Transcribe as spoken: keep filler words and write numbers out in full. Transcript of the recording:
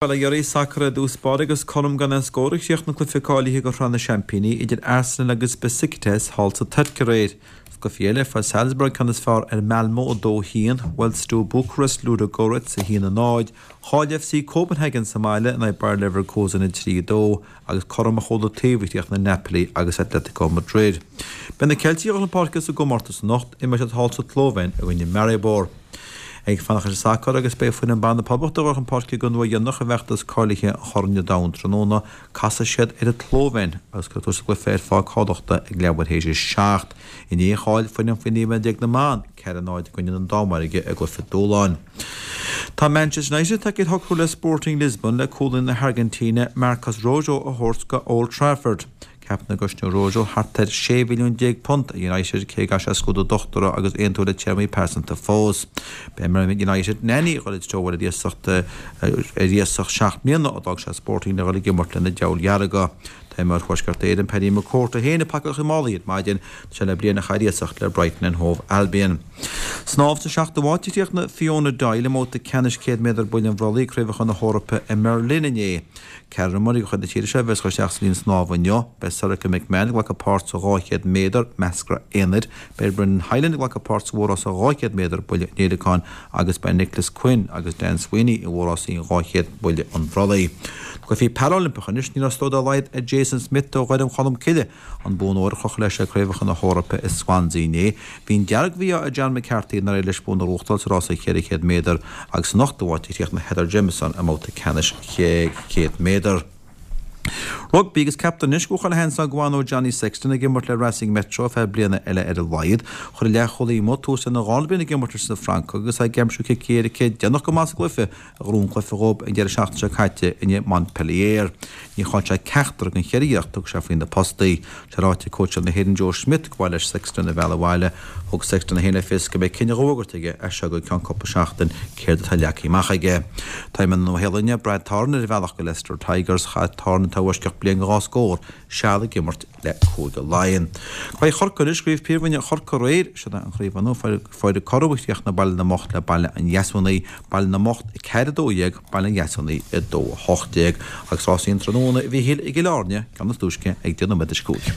Bail ó Dhia oraibh, sacar i dtús báire agus cothrom gan aon scór a chríochnaigh an cluiche cáilithe do Shraith na Seaimpíní idir Arsenal agus Besiktas thall sa Tuirc aréir. Sa gcluiche eile, fuair Salzburg ceann is fearr ar Malmo a dó a haon, bhuail Steaua Bucharest Ludogorets a haon a náid, chaill F C Copenhagen sa mbaile in aghaidh Bayer Leverkusen a trí a dó agus cothrom ó chúl an taobh a chríochnaigh Napoli agus Atletico Madrid. Beidh na Ceiltigh ag dul chun páirce sa gcomórtas anocht, imreoidh siad thall sa tSlóivéin i gcoinne Maribor. Ag fanacht leis an sacar agus beidh foireann ban na Poblachta ag dul chun páirce don uair dheireanach i bhfeachtas cáilithe an Chorn Domhain tráthnóna, casfaidh siad ar an tSlóivéin agus cuirfear tús leis an gcluiche ar phá cádachta ag leathuair théis a seacht. Inné chaill foireann faoi naoi mbliana déag na mban ceathair a náid i gcoinne na Danmhairge i gcluiche dúshláin. Tá Manchester United tagtha ar shocrú le Sporting Lisbon le cúlaí na hAirgintíne Marcos Rojo a thabhairt go Old Trafford. Ceaptar go gcosnóidh Rojo thart ar sé mhilliún déag punt ar United cé go gcaithfidh sé scrúdú dochtúra agus aontú le téarmaí pearsanta fós. Beidh imreoir United Nani ag dul i dtreo ar iasacht ar iasacht seacht mbliana ó d'fhág sé Sporting le dhul ag imirt le na Diabhail Dhearga. Tá imreoir Thuaisceart Éireann Paddy McCourt é féin ag pacáil a mhálaí ar maidin, tá sé le bliain a chaitheamh ar iasacht le Brighton and Hove Albion. Snámh sa seachtú háit a chríochnaigh Fiona Doyle i mbabhta ceannais céad méadar buille an bhrollaigh ag Craobhacha na hEorpa i mBerlin inné. Ceathrar imreoirí de chuid na tíre seo a bheas ag dul isteach sa líne snámha inniu. Beidh Sorcha McMahon ag glacadh páirt sa dhá chéad méadar meascra aonair, beidh Brendan Hyland ag glacadh páirt sa mhórrása dhá chéad méadar buille an fhéileacáin agus beidh Nicholas Quinn agus Dan Sweeney i mhórrásaí an dhá chéad buille an bhrollaigh. Cluichí Parailimpeacha anois, ní raibh stró dá laghad ar Jason Smith ó Dhoire Cholm Cille an bonn óir a chrochadh leis ag Craobhacha na hEorpa i Swansea inné. Bhí an dearg-mhí-ádh ar John McCarthy nár éirigh leis bua na gnóthachtáil sa rása cheithre chéad méadar agus san ochtú háit a chríochnaigh Heather Jamieson i mbabhta ceannais céad méadar. Rugbaí agus ceaptar anois go bhfuil seans go bhfanóidh Johnny Sexton ag imirt le Racing Metro ar feadh bliana eile ar a laghad. Chuir an leathchúlaí amuigh tús lena dhara bliain ag imirt leis na Francaigh agus é ag aimsiú cic éirice déanach go maith sa gcluiche a ghnóthaigh an cluiche dhóibh an deireadh seachtaine seo caite in aghaidh Montpellier. Ní chaill sé ceachtar den cheithre iarracht a thug sé faoi na postaí. Tá ráite ag cóitseáil na hÉireann Joe Schmidt go mba mhaith leis Sexton a mhealladh abhaile. Thug Sexton é féin le fios go mbeidh cinneadh á fhógairt aige as seo go ceann cúpla seachtain céard atá leagtha amach aige. Tá imreoir na Nua-Shéalainne Brad Thorn ar a bhealach go Leicester Tigers. Chaith Thorn atá i bhfoisceacht bliain dhá scór seal ag imirt le Cúige Laighean. Craobh Chorcaí anois, Craobh Phríomhroinn Chorcaí aréir, siod é an chraobh inniu, fuair cothrom a chríochnaigh Baile na mBocht le Baile an Dheasúnaigh, Baile na mBocht a ceathair a dó dhéag, Baile an Dheasúnaigh a dó a hocht déag, agus rásaí an tráthnóna a Mhíchíl i gCill Airne, ceann is túisce ag deich nóiméad tar éis a cúig.